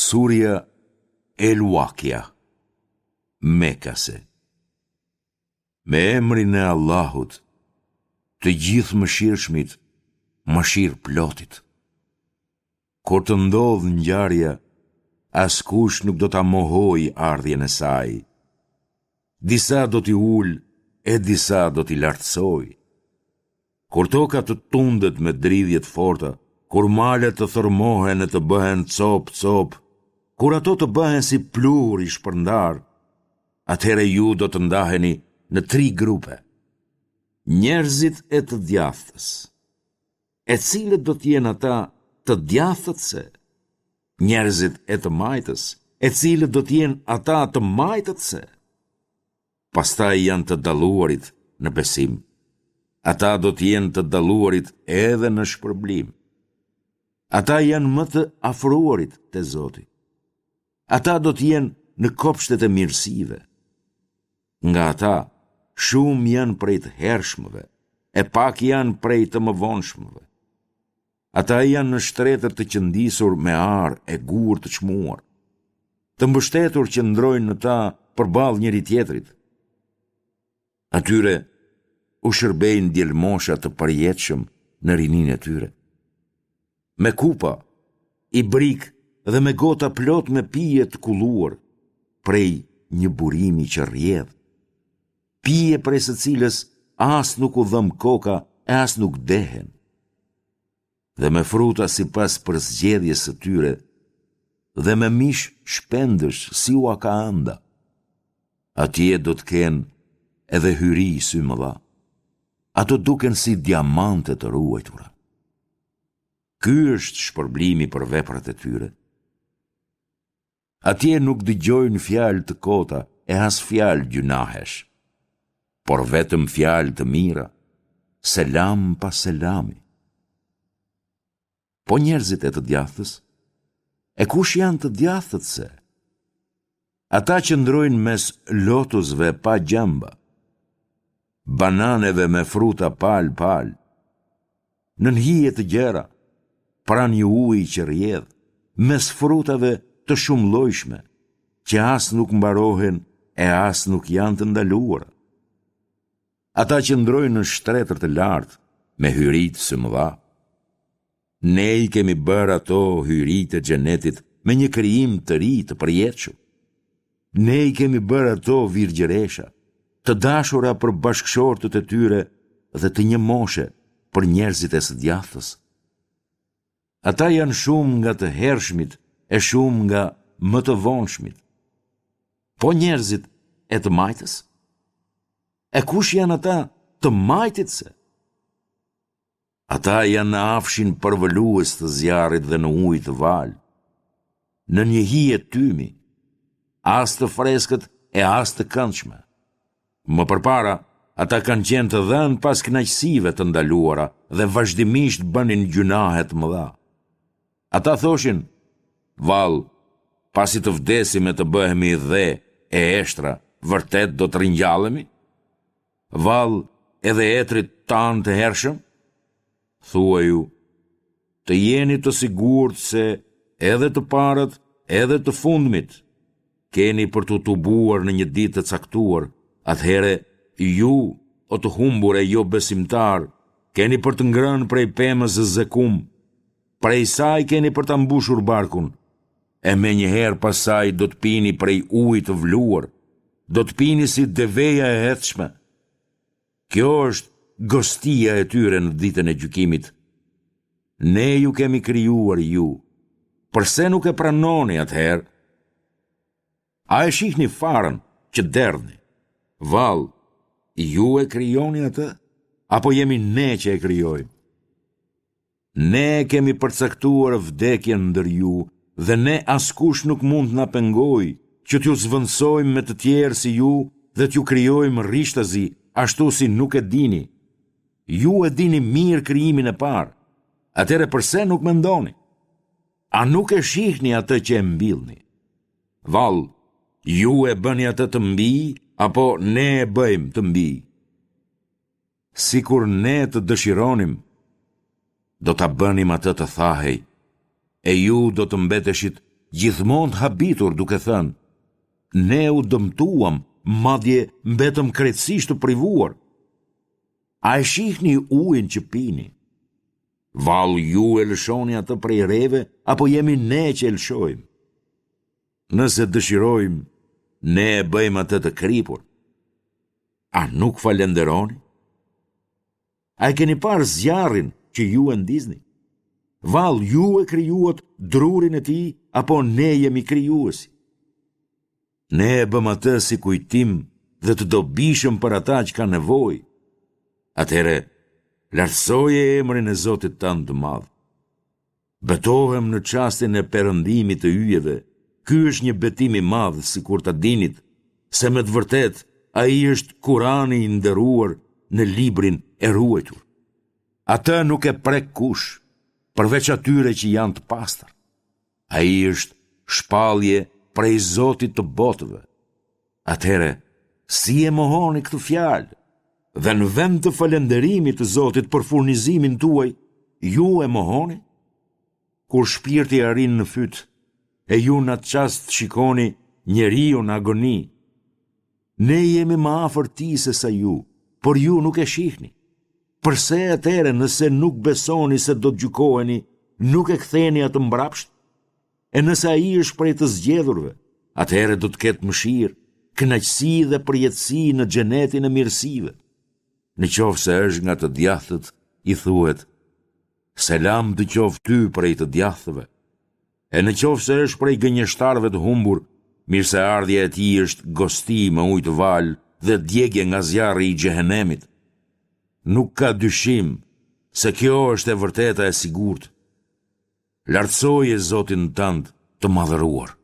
Surja El Wakia, Mekase. Me emrin e Allahut, të Gjithëmëshirshmit, Mëshirëplotit. Kur të ndodhë ngjarja, askush nuk do ta mohojë ardhjen e saj. Disa do t'i ulë e disa do t'i lartësojë. Kur toka të tundet me dridhje të forta, kur malet të thërrmohen e të bëhen copë-copë, kur ato të bëhen si pluhur i shpërndarë, atëherë ju do të ndaheni në tri grupe. Njerëzit e të djathtës. E cilët do të jenë ata të djathtët se? Njerëzit e të majtës, e cilët do të jenë ata të majtët se? Pastaj janë të dalluarit në besim. Ata do të jenë të dalluarit edhe në shpërblim. Ata janë më të afruarit te Zoti. Ata do të jenë në kopshtet e mirësive. Nga ata, shumë janë prej të hershmëve, e pak janë prej të mëvonshmëve. Ata janë në shtretër të qëndisur me ar e gurë të çmuar. Të mbështetur qëndrojnë në ta përballë njëri-tjetrit. Atyre u shërbejnë djelmosha të përjetshëm në rininë e tyre. Me kupa, ibrikë dhe me gota plot me pije të kulluar, prej një burimi që rrjedh. Pije prej së cilës as nuk u dhemb koka e as nuk dehen. Dhe me fruta sipas përzgjedhjes së tyre dhe me mish shpendësh si ua ka ënda. Atje do të kenë edhe hyri symëdha. Ato duken si diamante të ruajtura. Ky është shpërblimi për veprat e tyre. Atje nuk dëgjojnë fjalë të kota e as fjalë gjynahesh, por vetëm fjalë të mira, selam pas selami. Po njerëzit e të djathtës? E kush janë të djathtët se? Ata qëndrojnë mes lotusve pa gjemba, bananeve me fruta palë palë, nën hije të gjera, pranë një uji që rrjedh, mes frutave të shumëllojshme, që as nuk mbarohen e as nuk janë të ndaluara. Ata qëndrojnë në shtretër të lartë, me hyritë symëdha. Ne i kemi bërë ato hyri të xhenetit me një krijim të ri të përjetshëm. Ne i kemi bërë ato virgjëresha, të dashura për bashkëshortët e tyre dhe të një moshe për njerëzit e së djathtës. Ata janë shumë nga të hershmit e shumë nga më të vonshmit. Po njerëzit e të majtës? E kush janë ata të majtit se? Ata janë në afshin përvëlues të zjarrit dhe në ujë të valë, në një hije tymi, as të freskët e as të këndshme. Më përpara, ata kanë qenë të dhënë pas kënaqësive të ndaluara dhe vazhdimisht bënin gjynahe të mëdha. Ata thoshin, vallë, pasi të vdesim e të bëhemi dhe e eshtra, vërtet do të ringjallemi? Vallë edhe etërit tanë të hershëm? Thuaju, të jeni të sigurt se edhe të parët, edhe të fundmit, keni për t'u tubuar në një ditë të caktuar, atëherë ju, o të humbur e jobesimtarë, keni për të ngrënë prej pemës Zekum, prej saj keni për ta mbushur barkun, e menjëherë pas saj do të pini prej ujit të vluar, do të pini si deveja e etshme. Kjo është gostia e tyre në ditën e gjykimit. Ne ju kemi krijuar ju. Përse nuk e pranoni atëherë? A e shihni farën që derdhni? Vallë, ju e krijoni atë apo jemi ne që e krijojmë? Ne e kemi përcaktuar vdekjen ndër ju dhe ne askush nuk mund të na pengojë që t'ju zëvendësojmë me të tjerë si ju dhe t'ju krijojmë rishtazi ashtu si nuk e dini. Ju e dini mirë krijimin e parë. Atëherë përse nuk mendoni? A nuk e shihni atë që e mbillni? Vallë, ju e bëni atë të mbijë apo ne e bëjmë të mbijë? Sikur ne të dëshironim, do ta bënim atë të thahej, e ju do të mbeteshit gjithmonë të habitur duke thënë, ne u dëmtuam, madje mbetëm krejtësisht të privuar. A e shihni ujin që pini? Vallë ju e lëshoni atë prej reve, apo jemi ne që e lëshojmë? Nëse dëshirojmë, ne e bëjmë atë të kripur. A nuk falënderoni? A e keni parë zjarrin që ju e ndizni? Vallë ju e krijuat drurin e tij, apo ne jemi krijuesi? Ne e bëmë atë si kujtim dhe të dobishëm për ata që kanë nevojë. Atëherë, lartësoje emrin e Zotit tënd të madh. Betohem në çastin e perëndimit të yjeve, ky është një betim i madh sikur ta dinit, se me të vërtetë ai është Kurani i nderuar në librin e ruajtur. Atë nuk e prek kush, përveç atyre që janë të pastër. Ai është shpallje prej Zotit të botëve. Atëherë, si e mohoni këtë fjalë? Dhe në vend të falënderimit të Zotit për furnizimin tuaj, ju e mohoni? Kur shpirti arrin në fyt, e ju në atë çast shikoni njeriun në agoni, ne jemi më afër tij sesa ju, por ju nuk e shihni. Përse atëherë nëse nuk besoni se do të gjykoheni, nuk e ktheni atë mbrapsht? E nëse ai është prej të zgjedhurve, atëherë do të ketë mëshirë, kënaqësi dhe përjetësi në xhenetin e mirësive. Në qoftë se është nga të djathtët, i thuhet, selam të qoftë ty prej të djathtëve. E në qoftë se është prej gënjeshtarëve të humbur, mirëseardhja e tij është gosti me ujë të valë dhe djegie nga zjarri i xhehenemit. Nuk ka dyshim se kjo është e vërteta e sigurt. Lartësoje Zotin tënd të madhëruar.